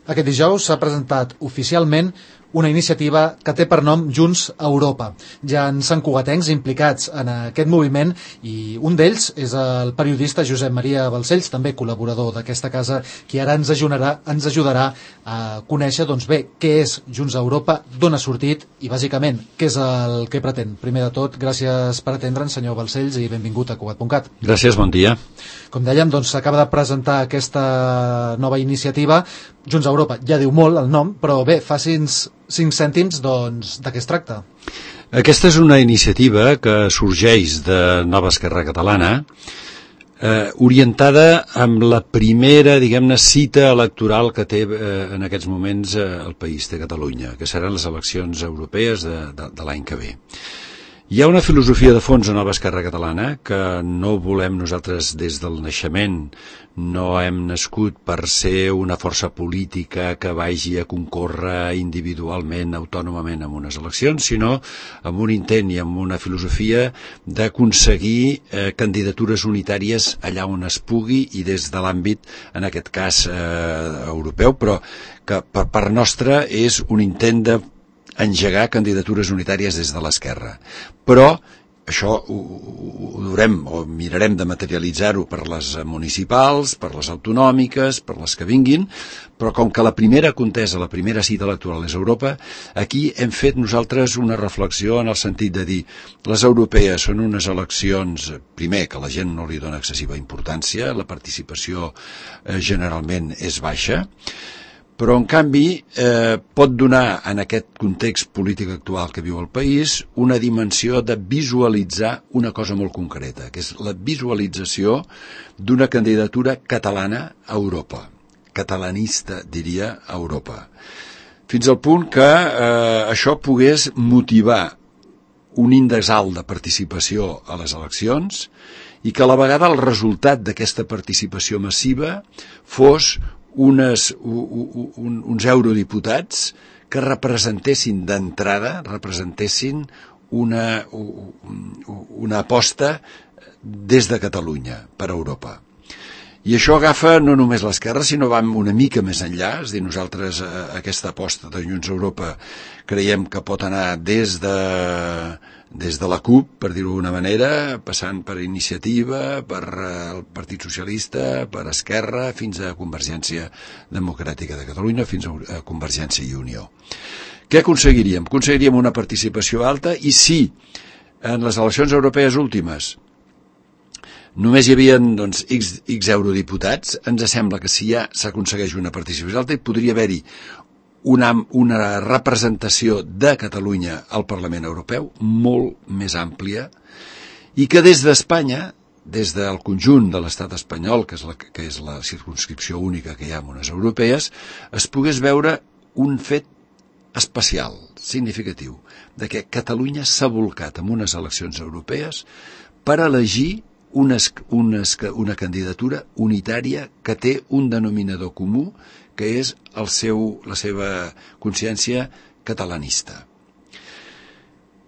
Aquest dijous s'ha presentat oficialment una iniciativa que té per nom Junts Europa. Ja en Sant Cugatencs implicats en aquest moviment i un d'ells és el periodista Josep Maria Balcells, també col·laborador d'aquesta casa, qui ara ens ajudarà a conèixer què és Junts Europa, d'on ha sortit i bàsicament què és el que pretén. Primer de tot, gràcies per atendre'ns, senyor Balcells, i benvingut a Cugat.cat. Gràcies, bon dia. Com dèiem, s'acaba de presentar aquesta nova iniciativa. Junts Europa ja diu molt el nom, però bé, faci'ns 5 cèntims de què es tracta. Aquesta és una iniciativa que sorgeix de Nova Esquerra Catalana, orientada amb la primera, diguem-ne, cita electoral que té en aquests moments el país de Catalunya, que seran les eleccions europees de l'any que ve. Hi ha una filosofia de fons a Nova Esquerra Catalana que no volem nosaltres des del naixement, no hem nascut per ser una força política que vagi a concórrer individualment, autònomament en unes eleccions, sinó amb un intent i amb una filosofia d'aconseguir candidatures unitàries allà on es pugui i des de l'àmbit, en aquest cas, europeu, però que per part nostra és un intent de engegar candidatures unitàries des de l'esquerra. Però això ho durem o mirarem de materialitzar-ho per les municipals, per les autonòmiques, per les que vinguin, però com que la primera contesa, la primera cita electoral és Europa, aquí hem fet nosaltres una reflexió en el sentit de dir les europees són unes eleccions, primer, que la gent no li dona excessiva importància, la participació generalment és baixa, però en canvi pot donar en aquest context polític actual que viu el país una dimensió de visualitzar una cosa molt concreta, que és la visualització d'una candidatura catalana a Europa, catalanista, diria, a Europa. Fins al punt que això pogués motivar un índex alt de participació a les eleccions i que a la vegada el resultat d'aquesta participació massiva fos uns eurodiputats que representessin d'entrada, una aposta des de Catalunya per a Europa. I això agafa no només l'esquerra, sinó va una mica més enllà, és a dir, nosaltres aquesta aposta de Junts Europa creiem que pot anar des de la CUP, per dir-ho d'una manera, passant per Iniciativa, per el Partit Socialista, per Esquerra, fins a Convergència Democràtica de Catalunya, fins a Convergència i Unió. Què aconseguiríem? Aconseguiríem una participació alta i si en les eleccions europees últimes només hi havia X eurodiputats, ens sembla que si ja s'aconsegueix una participació alta hi podria haver-hi una representació de Catalunya al Parlament Europeu molt més àmplia i que des d'Espanya, des del conjunt de l'estat espanyol, que és la circumscripció única que hi ha en unes europees, es pogués veure un fet especial, significatiu, de que Catalunya s'ha volcat en unes eleccions europees per elegir una candidatura unitària que té un denominador comú, que és la seva consciència catalanista.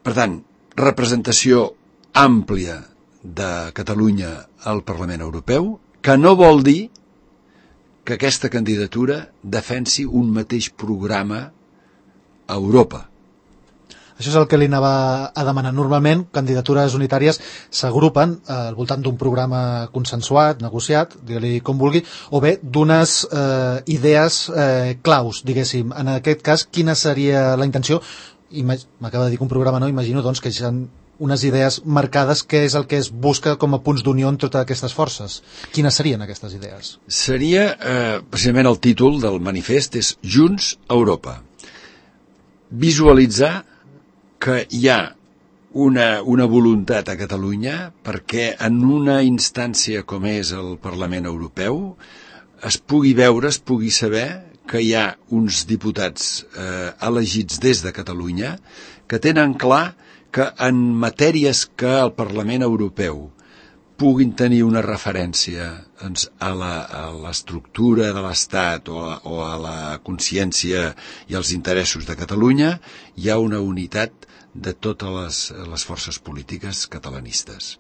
Per tant, representació àmplia de Catalunya al Parlament Europeu, que no vol dir que aquesta candidatura defensi un mateix programa a Europa. Això és el que li anava a demanar. Normalment, candidatures unitàries s'agrupen al voltant d'un programa consensuat, negociat, digue-li com vulgui, o bé d'unes idees claus, diguéssim. En aquest cas, quina seria la intenció? M'acaba de dir que un programa no, imagino que hi ha unes idees marcades, què és el que es busca com a punts d'unió en totes aquestes forces. Quines serien aquestes idees? Seria, precisament el títol del manifest és Junts Europa. Visualitzar que hi ha una voluntat a Catalunya perquè en una instància com és el Parlament Europeu es pugui veure, es pugui saber que hi ha uns diputats elegits des de Catalunya que tenen clar que en matèries que el Parlament Europeu puguin tenir una referència a l'estructura de l'Estat o a la consciència i als interessos de Catalunya, hi ha una unitat de totes les forces polítiques catalanistes.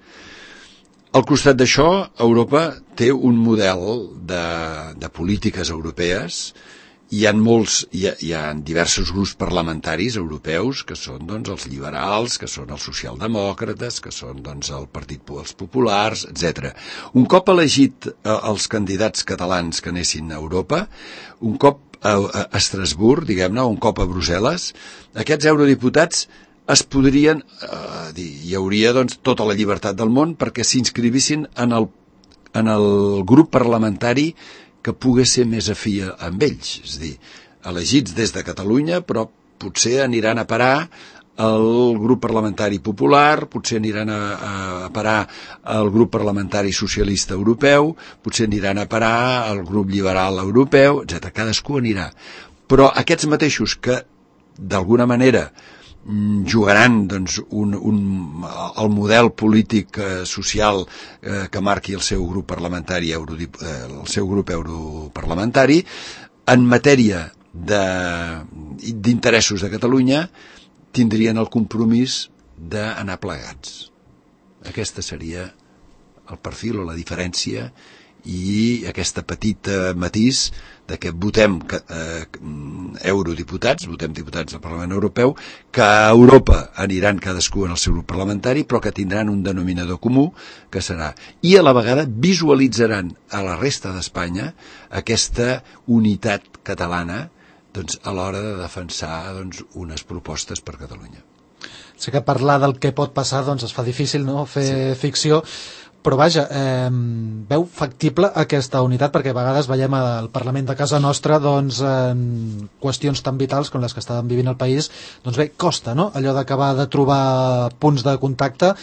Al costat d'això, Europa té un model de polítiques europees hi ha diversos grups parlamentaris europeus que són doncs, els liberals, que són els socialdemòcrates, que són doncs, els populars, etc. Un cop elegit els candidats catalans que anessin a Europa, un cop a Estrasburg, diguem-ne, un cop a Brussel·les, aquests eurodiputats es podrien, hi hauria doncs, tota la llibertat del món perquè s'inscrivissin en el grup parlamentari que pogués ser més afí amb ells, és a dir, elegits des de Catalunya, però potser aniran a parar al grup parlamentari popular, potser aniran a parar al grup parlamentari socialista europeu, potser aniran a parar al grup liberal europeu, etc. Cadascú anirà. Però aquests mateixos que, d'alguna manera, jugaran doncs, el model polític social que marqui el seu grup parlamentari, el seu grup europarlamentari, en matèria d'interessos de Catalunya, tindrien el compromís d'anar plegats. Aquesta seria el perfil o la diferència i aquesta petita matís de que votem eurodiputats, votem diputats del Parlament Europeu, que a Europa aniran cadascú en el seu grup parlamentari, però que tindran un denominador comú, que serà, i a la vegada visualitzaran a la resta d'Espanya aquesta unitat catalana doncs, a l'hora de defensar doncs, unes propostes per Catalunya. Sé que parlar del que pot passar doncs, es fa difícil, no? Fer ficció, però vaja, veu factible aquesta unitat, perquè a vegades veiem al Parlament de casa nostra doncs, en qüestions tan vitals com les que estàvem vivint al país, doncs bé, costa, no? Allò d'acabar de trobar punts de contacte.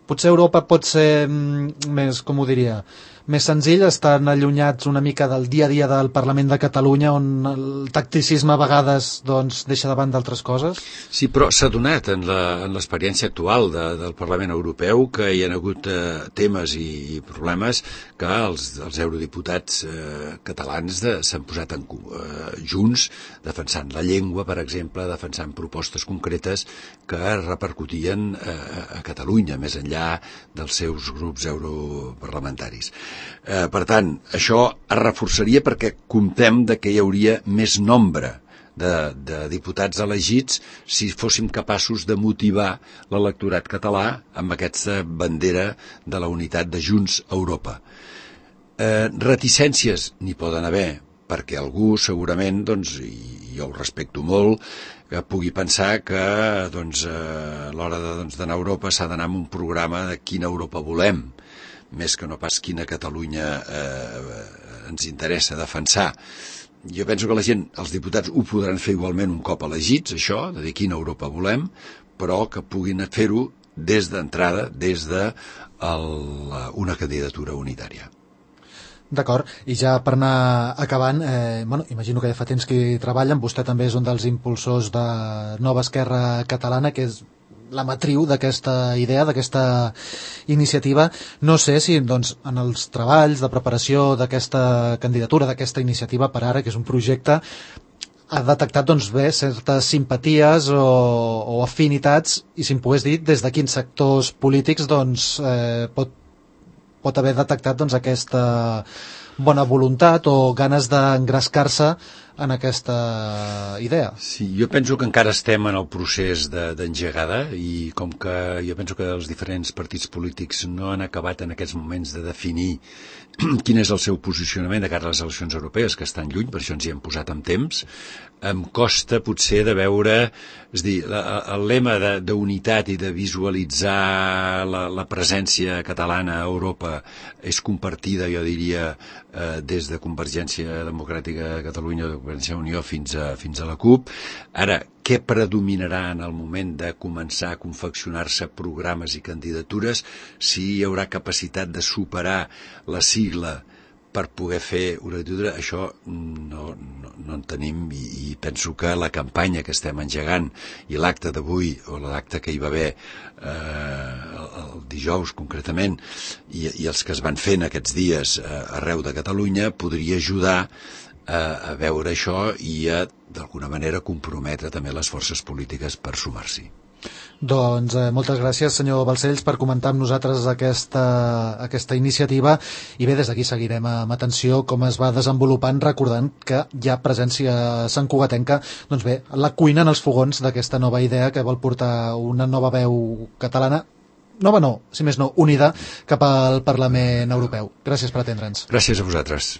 Potser Europa pot ser més, com ho diria, més senzill, estan allunyats una mica del dia a dia del Parlament de Catalunya, on el tacticisme a vegades doncs, deixa davant d'altres coses? Sí, però s'ha donat en l'experiència actual del Parlament Europeu que hi ha hagut temes i problemes que els eurodiputats catalans s'han posat junts, defensant la llengua, per exemple, defensant propostes concretes que repercutien a Catalunya, més enllà dels seus grups europarlamentaris. Per tant, això es reforçaria perquè comptem de que hi hauria més nombre de diputats elegits si fóssim capaços de motivar l'electorat català amb aquesta bandera de la unitat de Junts a Europa. Reticències n'hi poden haver, perquè algú segurament, doncs, i jo ho respecto molt, que pugui pensar que doncs, a l'hora d'anar a Europa s'ha d'anar amb un programa de quina Europa volem, més que no pas quina Catalunya ens interessa defensar. Jo penso que la gent, els diputats, ho podran fer igualment un cop elegits, això, de dir quina Europa volem, però que puguin fer-ho des d'entrada, des d'una candidatura unitària. D'acord, i ja per anar acabant, imagino que ja fa temps que hi treballen, vostè també és un dels impulsors de Nova Esquerra Catalana, que és la matriu d'aquesta idea, d'aquesta iniciativa. No sé si doncs, en els treballs de preparació d'aquesta candidatura, d'aquesta iniciativa per ara, que és un projecte, ha detectat doncs, bé certes simpaties o afinitats, i si em pogués dir des de quins sectors polítics doncs, pot haver detectat doncs, aquesta bona voluntat o ganes d'engrescar-se en aquesta idea. Sí, jo penso que encara estem en el procés d'engegada i com que jo penso que els diferents partits polítics no han acabat en aquests moments de definir quin és el seu posicionament de cara a les eleccions europees, que estan lluny, per això ens hi hem posat amb temps, em costa potser de veure, és a dir, el lema d'unitat i de visualitzar la presència catalana a Europa és compartida, jo diria, des de Convergència Democràtica de Catalunya, de Convergència Unió fins a la CUP. Ara, què predominarà en el moment de començar a confeccionar-se programes i candidatures, si hi haurà capacitat de superar la sigla per poder fer una candidatura? Això no en tenim, i penso que la campanya que estem engegant i l'acte d'avui, o l'acte que hi va haver el dijous concretament, i els que es van fent aquests dies arreu de Catalunya, podria ajudar a veure això i a, d'alguna manera, comprometre també les forces polítiques per sumar-s'hi. Doncs moltes gràcies, senyor Balcells, per comentar amb nosaltres aquesta iniciativa, i bé, des d'aquí seguirem amb atenció com es va desenvolupant, recordant que hi ha presència santcugatenca, doncs bé, la cuina en els fogons d'aquesta nova idea que vol portar una nova veu catalana, nova no, si més no, unida, cap al Parlament Europeu. Gràcies per atendre'ns. Gràcies a vosaltres.